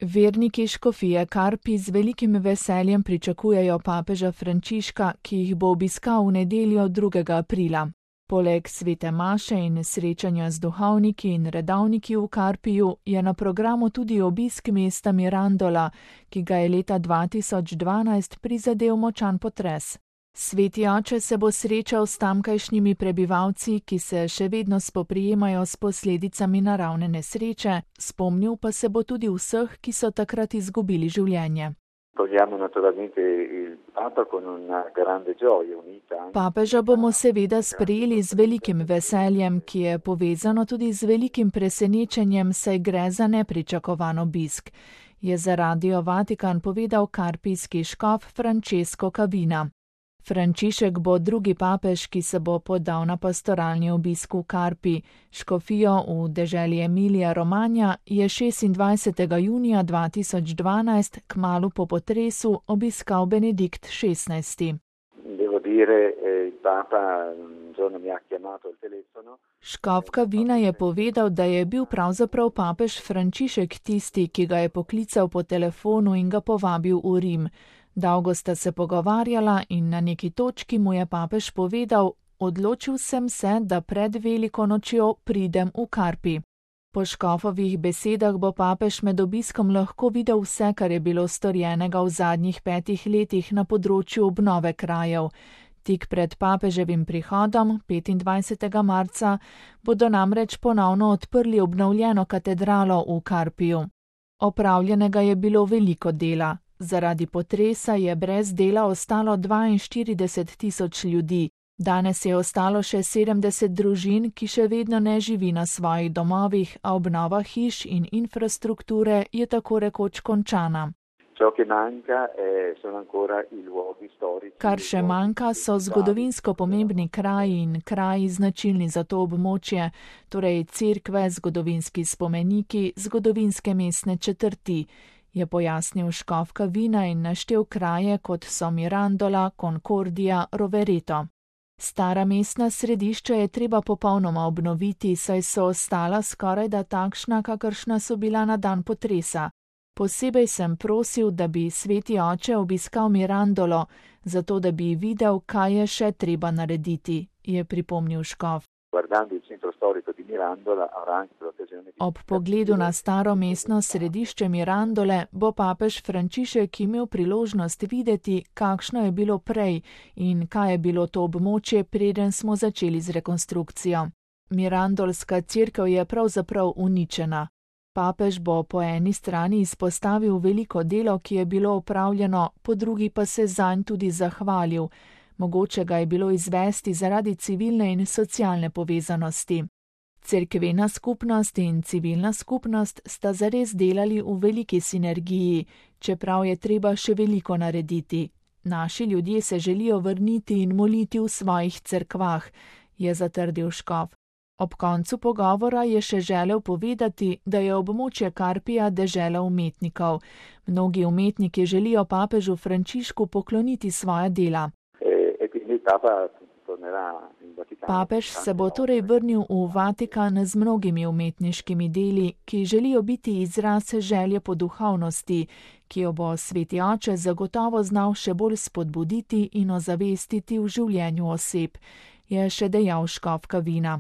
Verniki škofije Karpi z velikim veseljem pričakujejo papeža Frančiška, ki jih bo obiskal v nedeljo 2. aprila. Poleg svete maše in srečanja z duhovniki in redovniki v Karpiju je na programu tudi obisk mesta Mirandola, ki ga je leta 2012 prizadel močan potres. Sveti oče se bo srečal s tamkajšnjimi prebivalci, ki se še vedno spoprijemajo s posledicami naravne nesreče, spomnil pa se bo tudi vseh, ki so takrat izgubili življenje. Papeža bomo seveda sprejeli z velikim veseljem, ki je povezano tudi z velikim presenečenjem, saj gre za nepričakovan obisk, je za Radio Vatikan povedal karpijski škof Francesco Cavina. Frančišek bo drugi papež, ki se bo podal na pastoralni obisk v Karpi. Škofijo v deželi Emilija Romagna je 26. junija 2012, kmalu po potresu, obiskal Benedikt XVI. Škof Cavina je povedal, da je bil pravzaprav papež Frančišek tisti, ki ga je poklical po telefonu in ga povabil v Rim. Dolgo sta se pogovarjala in na neki točki mu je papež povedal: odločil sem se, da pred veliko nočjo pridem v Karpi. Po škofovih besedah bo papež med obiskom lahko videl vse, kar je bilo storjenega v zadnjih 5 letih na področju obnove krajev. Tik pred papeževim prihodom, 25. marca, bodo namreč ponovno odprli obnovljeno katedralo v Karpiju. Opravljenega je bilo veliko dela. Zaradi potresa je brez dela ostalo 42 tisoč ljudi. Danes je ostalo še 70 družin, ki še vedno ne živi na svojih domovih, a obnova hiš in infrastrukture je tako rekoč končana. Kar še manjka, so zgodovinsko pomembni kraji in kraji značilni za to območje, torej cerkve, zgodovinski spomeniki, zgodovinske mestne četrti, je pojasnil škof Cavina in naštel kraje, kot so Mirandola, Concordia, Rovereto. Stara mestna središča je treba popolnoma obnoviti, saj so ostala skorajda takšna, kakršna so bila na dan potresa. Posebej sem prosil, da bi sveti oče obiskal Mirandolo, zato da bi videl, kaj je še treba narediti, je pripomnil škof. Ob pogledu na staro mestno središče Mirandole bo papež Frančišek imel priložnost videti, kakšno je bilo prej in kaj je bilo to območje, preden smo začeli z rekonstrukcijo. Mirandolska cerkev je pravzaprav uničena. Papež bo po eni strani izpostavil veliko delo, ki je bilo opravljeno, po drugi pa se zanj tudi zahvalil. Mogoče ga je bilo izvesti zaradi civilne in socialne povezanosti. Cerkvena skupnost in civilna skupnost sta zares delali v veliki sinergiji, čeprav je treba še veliko narediti. Naši ljudje se želijo vrniti in moliti v svojih cerkvah, je zatrdil škof. Ob koncu pogovora je še želel povedati, da je območje Karpija dežela umetnikov. Mnogi umetniki želijo papežu Frančišku pokloniti svoja dela. Papež se bo torej vrnil v Vatikan z mnogimi umetniškimi deli, ki želijo biti izraz želje po duhovnosti, ki jo bo sveti oče zagotovo znal še bolj spodbuditi in ozavestiti v življenju oseb, je še dejal škof Cavina.